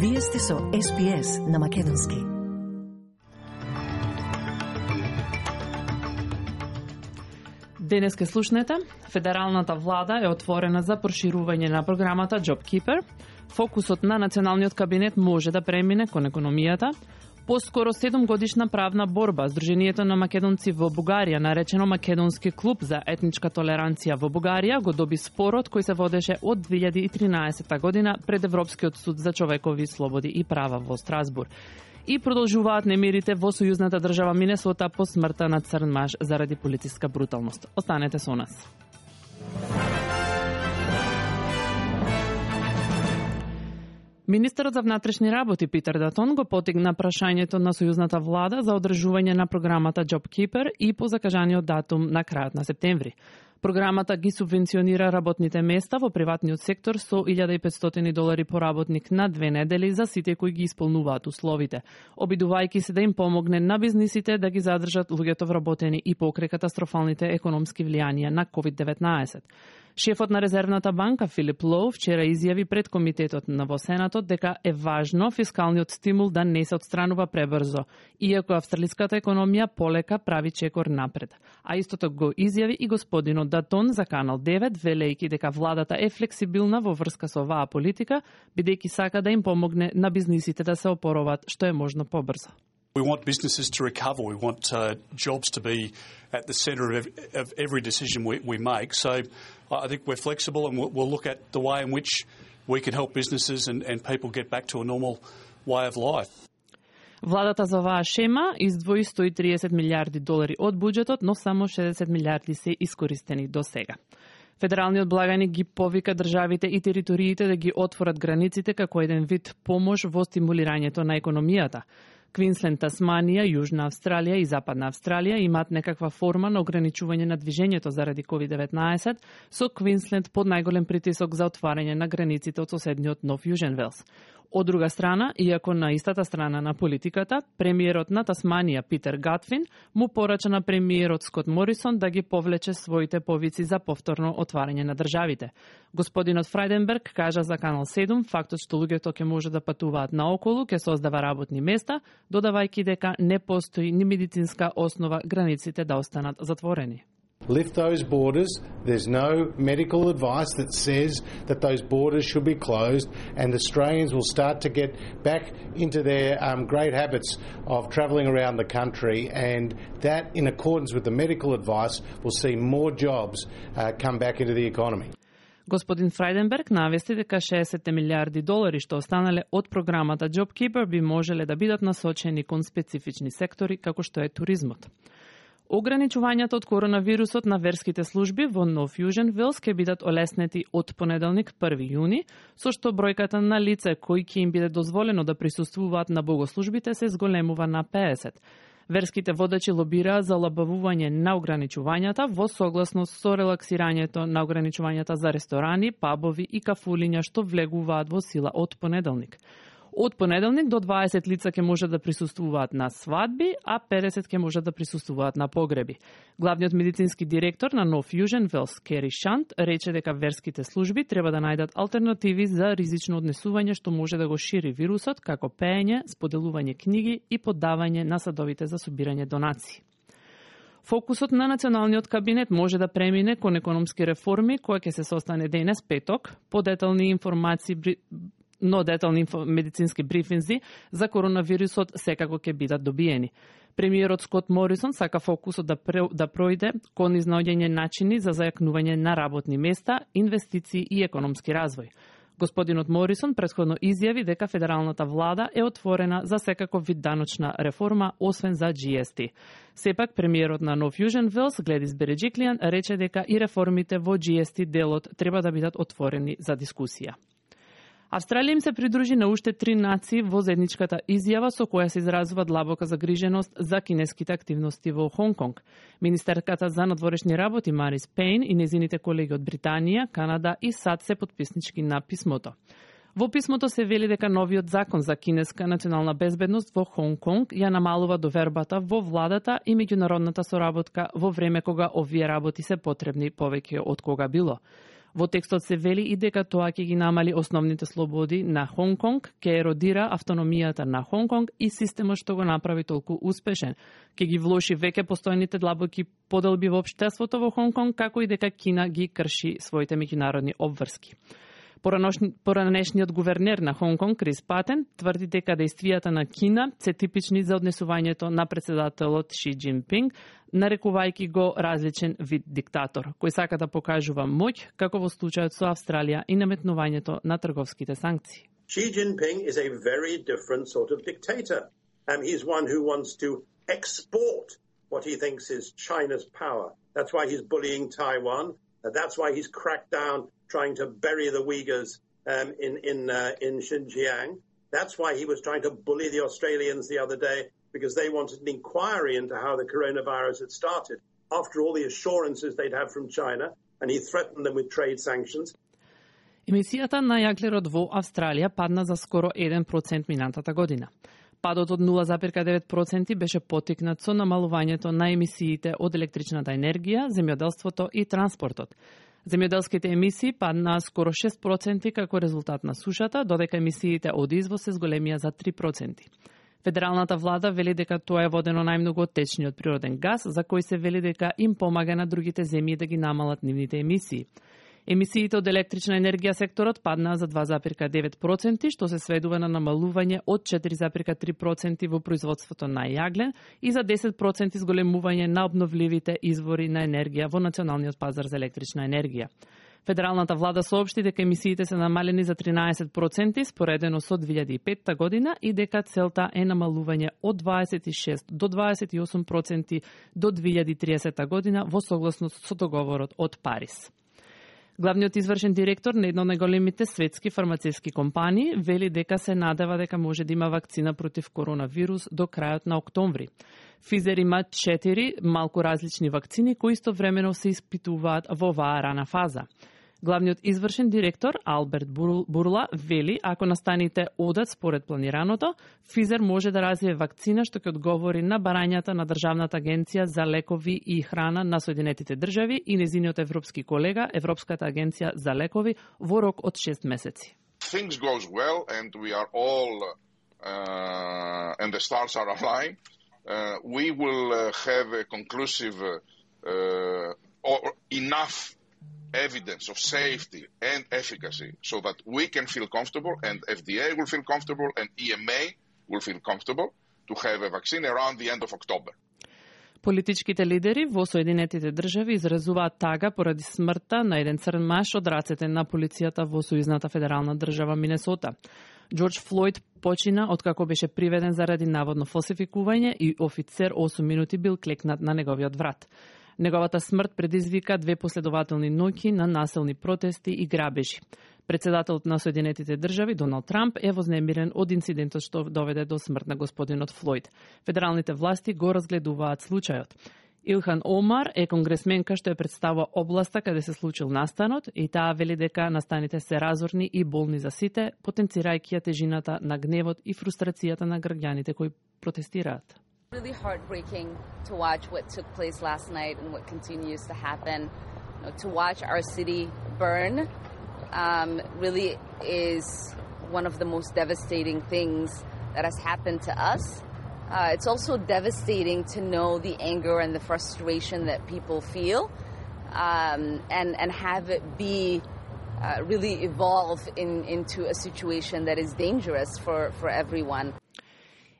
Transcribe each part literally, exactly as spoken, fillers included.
Вие сте со Ес Би Ес на Македонски. Денес ке слушнете, федералната влада е отворена за проширување на програмата JobKeeper. Фокусот на националниот кабинет може да премине кон економијата. Поскоро седум годишна правна борба, Сдруженијето на македонци во Бугарија, наречено Македонски клуб за етничка толеранција во Бугарија, го доби спорот кој се водеше од две илјади и тринаесетта година пред Европскиот суд за човекови слободи и права во Страсбур. И продолжуваат немирите во сојузната држава Минесота по смртта на црн маж заради полициска бруталност. Останете со нас. Министерот за внатрешни работи Питер Датон го потигна прашањето на сојузната влада за одржување на програмата JobKeeper и по закажаниот датум на крајот на септември. Програмата ги субвенционира работните места во приватниот сектор со илјада и петстотини долари по работник на две недели за сите кои ги исполнуваат условите, обидувајќи се да им помогне на бизнисите да ги задржат луѓето вработени и покрај катастрофалните економски влијанија на ковид деветнаесет. Шефот на Резервната банка Филип Лоу вчера изјави пред комитетот на во Сенатот дека е важно фискалниот стимул да не се отстранува пребрзо, иако австралиската економија полека прави чекор напред. А истото го изјави и господинот Датон за Канал девет, велејќи дека владата е флексибилна во врска со оваа политика, бидејќи сака да им помогне на бизнисите да се опороват што е можно побрзо. We want businesses to recover. We want uh, jobs to be at the centre of, of every decision we, we make. So I think we're flexible and we'll, we'll look at the way in which we can help businesses and, and people get back to a normal way of life. Владата за оваа шема издвои сто и триесет милиарди долари од буџетот, но само шеесет милиарди се искористени до сега. Федералниот благаник ги повика државите и териториите да ги отворат границите како еден вид помош во стимулирањето на економијата. Квинсленд, Тасманија, Јужна Австралија и Западна Австралија имаат некаква форма на ограничување на движењето заради ковид деветнаесет, со Квинсленд под најголем притисок за отварање на границите од соседниот Нов Јужен Велс. Од друга страна, иако на истата страна на политиката, премиерот на Тасманија Питер Гатфин му порача на премиерот Скот Морисон да ги повлече своите повици за повторно отварање на државите. Господинот Фрајденберг кажа за Канал седум фактот што луѓето ќе може да патуваат наоколу ќе создава работни места, додавајќи дека не постои ни медицинска основа границите да останат затворени. Lift those borders. There's no medical advice that says that those borders should be closed, and Australians will start to get back into their um, great habits of travelling around the country, and that, in accordance with the medical advice, will see more jobs uh, come back into the economy. Господин Фрајденберг навести дека шеесет милиарди долари што останале од програмата JobKeeper би можеле да бидат насочени кон специфични сектори како што е туризмот. Ограничувањата од коронавирусот на верските служби во Нов Јужен Велс ќе бидат олеснети од понеделник први јуни, со што бројката на лица кои ќе им биде дозволено да присуствуваат на богослужбите се зголемува на пеесет. Верските водачи лобираа за олабавување на ограничувањата во согласност со релаксирањето на ограничувањата за ресторани, пабови и кафулиња што влегуваат во сила од понеделник. Од понеделник до дваесет лица ќе може да присуствуваат на свадби, а педесет ќе може да присуствуваат на погреби. Главниот медицински директор на Нов Јужен Велс, Кери Шант, рече дека верските служби треба да најдат алтернативи за ризично однесување што може да го шири вирусот, како пеење, споделување книги и поддавање на садовите за собирање донации. Фокусот на националниот кабинет може да премине кон економски реформи, која ќе се состане денес петок, по детални информации но детални медицински брифинзи за коронавирусот секако ќе бидат добиени. Премиерот Скот Морисон сака фокусот да, пре, да пројде кон изнаоѓање начини за зајакнување на работни места, инвестиции и економски развој. Господинот Морисон претходно изјави дека федералната влада е отворена за секаков вид даночна реформа, освен за Джи Ес Ти. Сепак, премиерот на Нов Јужен Велс, Гледис Береџиклијан, рече дека и реформите во Джи Ес Ти делот треба да бидат отворени за дискусија. Австралија им се придружи на уште три нации во заедничката изјава со која се изразува длабока загриженост за кинеските активности во Хонг Конг. Министерката за надворешни работи Марис Пейн и незините колеги од Британија, Канада и САД се потписнички на писмото. Во писмото се вели дека новиот закон за кинеска национална безбедност во Хонг Конг ја намалува довербата во владата и меѓународната соработка во време кога овие работи се потребни повеќе од кога било. Во текстот се вели и дека тоа ќе ги намали основните слободи на Хонг Конг, ќе еродира автономијата на Хонг Конг и системот што го направи толку успешен. Ќе ги влоши веќе постојните длабоки поделби во општеството во Хонг Конг, како и дека Кина ги крши своите меѓународни обврски. Поранешниот гувернер на Хонг Конг, Крис Патен, тврди дека дејствијата на Кина се типични за однесувањето на претседателот Ши Џинпинг, нарекувајќи го различен вид диктатор, кој сака да покажува моќ, како во случајот со Австралија и наметнувањето на трговските санкции. Xi Jinping is a very different sort of dictator. Um, he's one who wants to export what he thinks is China's power. That's why he's bullying Taiwan. Uh, that's why he's cracked down trying to bury the Uyghurs um, in in uh, in Xinjiang. That's why he was trying to bully the Australians the other day, because they wanted an inquiry into how the coronavirus had started after all the assurances they'd have from China, and he threatened them with trade sanctions. Емисијата на јаглерод во Австралија падна за скоро еден процент минатата година. Падот од нула зарез девет проценти беше потикнат со намалувањето на емисиите од електричната енергија, земјоделството и транспортот. Земјоделските емисии паднаа скоро шест проценти како резултат на сушата, додека емисиите од извоз се зголемија за три проценти. Федералната влада вели дека тоа е водено најмногу од течниот природен газ, за кој се вели дека им помага на другите земји да ги намалат нивните емисии. Емисиите од електрична енергија секторот паднаа за два зарез девет проценти, што се сведува на намалување од четири зарез три проценти во производството на јаглен и за десет проценти зголемување на обновливите извори на енергија во националниот пазар за електрична енергија. Федералната влада соопшти дека емисиите се намалени за тринаесет проценти споредено со две илјади и петта година и дека целта е намалување од дваесет и шест до дваесет и осум проценти до две илјади и триесетта година во согласност со договорот од Париз. Главниот извршен директор на една од најголемите светски фармацевски компании вели дека се надева дека може да има вакцина против коронавирус до крајот на октомври. Pfizer има четири малку различни вакцини кои истовремено се испитуваат во оваа рана фаза. Главниот извршен директор Алберт Бурла вели ако настаните одат според планираното, Pfizer може да развие вакцина што ќе одговори на барањата на Државната агенција за лекови и храна на Соединетите држави и незиниот европски колега Европската агенција за лекови во рок од шест месеци. Things goes well and we are all uh, and the stars are aligned. Uh, we will uh, have a conclusive uh, or enough evidence of safety and efficacy so that we can feel comfortable and F D A will feel comfortable and E M A will feel comfortable to have a vaccine around the end of October. Политичките лидери во Соединетите држави изразуваат тага поради смртта на еден црн маж од рацете на полицијата во сојузната федерална држава Минесота. Џорџ Флојд почина откако беше приведен заради наводно фалсификување и офицер осум минути бил клекнат на неговиот врат. Неговата смрт предизвика две последователни ноќи на насилни протести и грабежи. Председателот на Соединетите држави Доналд Трамп е вознемирен од инцидентот што доведе до смрт на господинот Флојд. Федералните власти го разгледуваат случајот. Илхан Омар е конгресменка што е представува областа каде се случил настанот и таа вели дека настаните се разорни и болни за сите, потенцирајќи ја тежината на гневот и фрустрацијата на граѓаните кои протестираат. Really heartbreaking to watch what took place last night and what continues to happen. You know, to watch our city burn um, really is one of the most devastating things that has happened to us. Uh, it's also devastating to know the anger and the frustration that people feel um, and, and have it be uh, really evolve in, into a situation that is dangerous for, for everyone.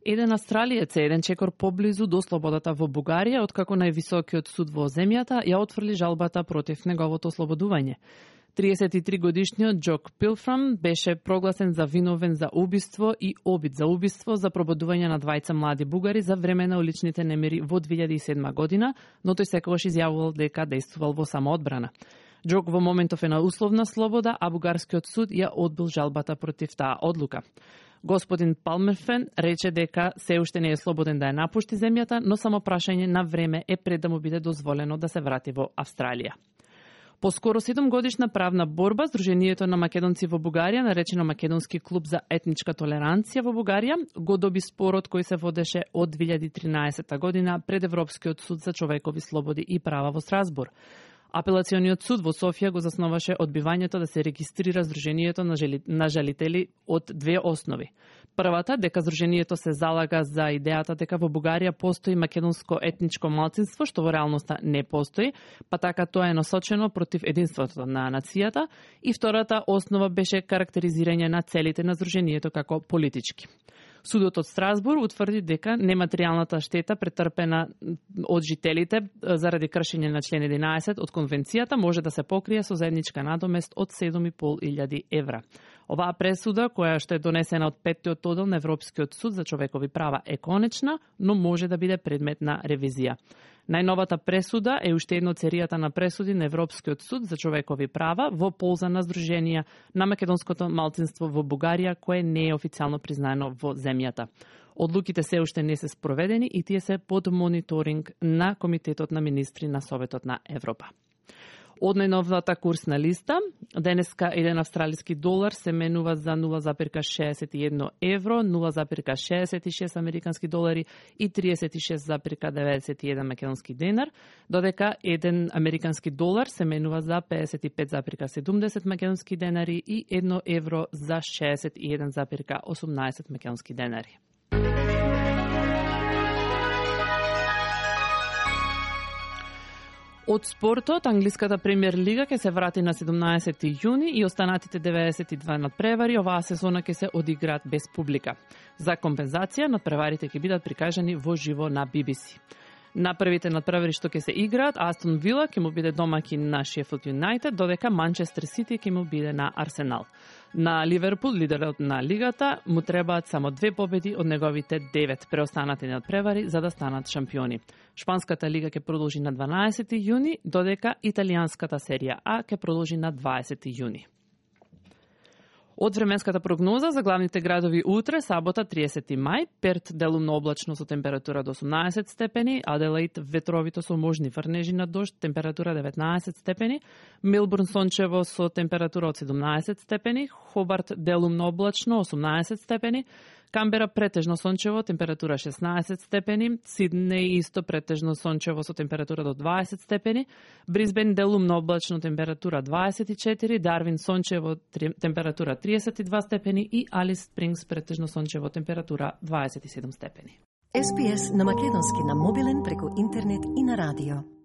Еден австралиец е еден чекор поблизу до слободата во Бугарија, откако највисокиот суд во земјата ја отфрли жалбата против неговото ослободување. триесет и три годишниот Джок Пилфрам беше прогласен за виновен за убиство и обид за убиство за пробудување на двајца млади бугари за време на уличните немири во две илјади и седма година, но тој секогаш изјавувал дека действувал во самоодбрана. Джок во моментов е на условна слобода, а бугарскиот суд ја одбил жалбата против таа одлука. Господин Палмерфен рече дека се уште не е слободен да ја напушти земјата, но само прашање на време е пред да му биде дозволено да се врати во Австралија. По скоро седумгодишна правна борба, Сдруженијето на македонци во Бугарија, наречено Македонски клуб за етничка толеранција во Бугарија, го доби спорот кој се водеше од две илјади и тринаесетта година пред Европскиот суд за човекови слободи и права во Страсбур. Апелациониот суд во Софија го засноваше одбивањето да се регистрира Сдруженијето на, жели, на жалители од две основи. Првата, дека Сдруженијето се залага за идејата дека во Бугарија постои македонско етничко малцинство, што во реалноста не постои, па така тоа е насочено против единството на нацијата, и втората основа беше карактеризирање на целите на Сдруженијето како политички. Судот од Страсбур утврди дека нематеријалната штета претрпена од жителите заради кршење на член единаесет од конвенцијата може да се покрие со заедничка надомест од седум и пол илјади евра. Оваа пресуда, која што е донесена од петтиот оддел на Европскиот суд за човекови права, е конечна, но може да биде предмет на ревизија. Најновата пресуда е уште една од серијата на пресуди на Европскиот суд за човекови права во полза на Сдруженија на македонското малцинство во Бугарија, кое не е официјално признаено во земјата. Одлуките се уште не се спроведени и тие се под мониторинг на Комитетот на министри на Советот на Европа. Од најновата курсна листа, денеска еден австралиски долар се менува за нула запирка шеесет и едно евро, нула запирка шеесет и шест американски долари и триесет и шест запирка деветдесет и еден македонски денар, додека еден американски долар се менува за педесет и пет запирка седумдесет македонски денари и едно евро за шеесет и еден запирка осумнаесет македонски денари. Од спортот, англиската премиер лига ќе се врати на седумнаесети јуни и останатите деветдесет и два надпревари оваа сезона ќе се одиграат без публика. За компензација, надпреварите ќе бидат прикажани во живо на Би Би Си. На првите надпревари што ќе се играат, Астон Вила ќе му биде домаќин на Шефилд Юнајтед, додека Манчестер Сити ќе му биде на Арсенал. На Ливерпул, лидерот на лигата, му требаат само две победи од неговите девет преостанати надпревари за да станат шампиони. Шпанската лига ќе продолжи на дванаесети јуни, додека италијанската серија А ќе продолжи на дваесети јуни. Од временската прогноза за главните градови утре, сабота триесети мај, Перт делумно облачно со температура до осумнаесет степени, Аделаид ветровито со можни врнежи на дожд, температура деветнаесет степени, Мелбурн сончево со температура од седумнаесет степени, Хобарт делумно облачно осумнаесет степени, Камбера претежно сончево, температура шеснаесет степени, Сиднеј исто претежно сончево со температура до дваесет степени, Брисбен делумно облачно, температура дваесет и четири, Дарвин сончево, температура триесет и два степени и Алис Спрингс претежно сончево, температура дваесет и седум степени. Ес Би Ес на македонски на мобилен преку интернет и на радио.